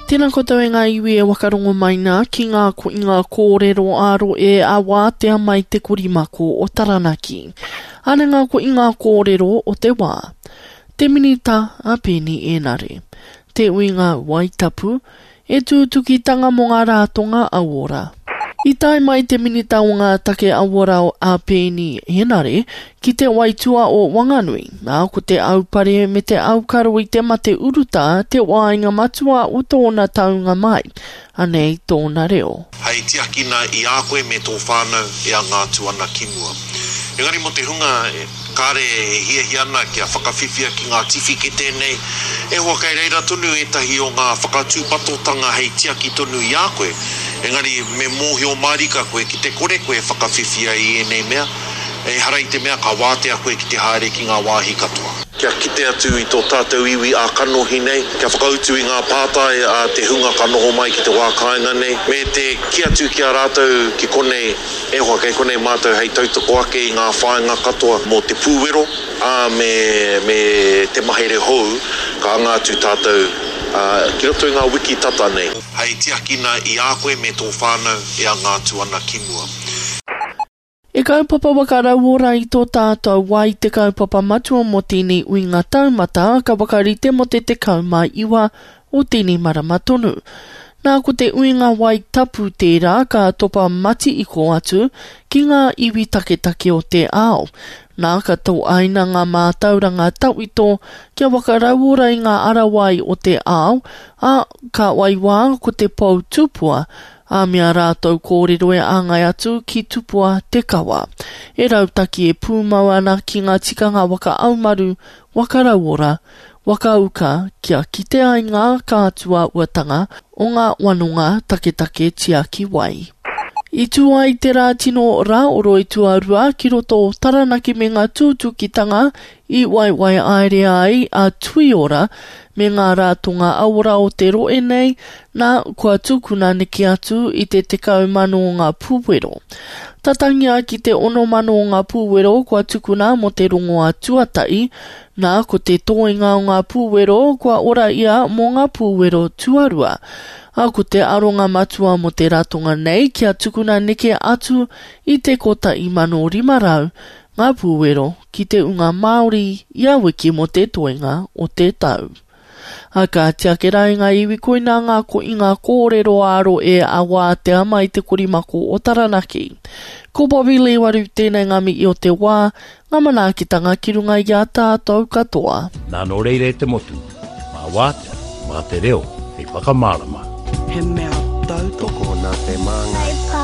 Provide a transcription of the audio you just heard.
Tēnā koutou e ngā iwi e wakarongo mai nā ki ngā koinga kōrero ā-roe a wātea mai te korimako o Taranaki. Ana ngā koinga kōrero o te wā. Te Minita a Peeni Enare. Te uinga Waitapu, E tūtukitanga mō ngā rātonga auora. I tae mai te Minita o ngā Take Auora a Peeni Henare ki te waitua o Wanganui, ā, ko te aupare me te aukaro i te mate urutā te wāinga matua o tōna taunga mai. Anei tōna reo. Hei tiakina i a koe me tō whānau e anga atu ana ki mua. Engari mō te hunga Kāre e hiahia ana kia whakawhiwhia ki ngā tiwhikete nei, e hoa kei reira tonu ētahi o ngā whakatūpatotanga hei tiaki tonu i a koe, engari me mōhio mārika koe ki te kore koe e whakawhiwhia i ēnei mea, ehara i te mea ka wātea koe ki te haere ki ngā wāhi katoa. Kia kite atu i tō tātou iwi ā-kanohi nei, kia whakautu i ngā pātai a te hunga ka noho mai ki te wā kāinga nei, me te kī atu ki a rātou ki konei, E hoa, kei konei mātou hei tautoko ake i ngā whāinga katoa mō te pūwero, ā, me, me te mahere hou ka anga atu tātou, ā, ki roto i ngā wiki tata nei. Hei tiakina i a koe me tō whānau e anga atu ana ki mua. E kaupapa waka rauora i tō tātou wā i te kaupapa matua mō tēnei uinga taumata ka whakarite mō te 19 o tēnei marama tonu. Nā ko te uinga wai tapu tērā ka topa matiiko atu ki ngā iwi taketake o te ao. Nā ka toaina ngā mātauranga tawhito kia whakarauora i ngā ara wai o te ao, ā, ka waiwā ko te pou tupua, ā, me ā rātou kōrero e āngai atu ki tupua te kawa. E rautaki e pūmau ana ki ngā tikanga waka aumaru, waka rauora, waka uka kia kite ai ngā kātua uatanga o ngā wanonga taketake tiaki wai. I tū ai te rā tino rāoroi tuarua ki roto o Taranaki me ngā tūtukitanga i waiwaiaere ai a Tuiora me ngā rātonga aora o te rohe nei, nā, kua tukuna neke atu i te 10,000 o ngā pūwero. Tatangia ki te 6,000 o ngā pūwero kua tukuna mō te rongoā tuatahi, Nā, ko te tōinga o ngā pūwero kua ora ia mō ngā pūwero tuarua. Ā, ko te aronga matua mō te ratonga nei kia tukuna neke atu i te 1,500 ngā pūwero ki te unga Māori ia wiki mō te toenga o te tau. Ā, ka tiake rā i ngā iwi koinā ngā koinga kōrero ā-rohe a Wātea mai te korimako o Taranaki. Ko Bobby Lee Waru tēnei ngā mihi o te wā, ngā manaakitanga ki runga i a tātou katoa. Nā nō reira e te motu, mā Wātea, mā te reo hei whakamārama. He mea tautoko nā te māngai.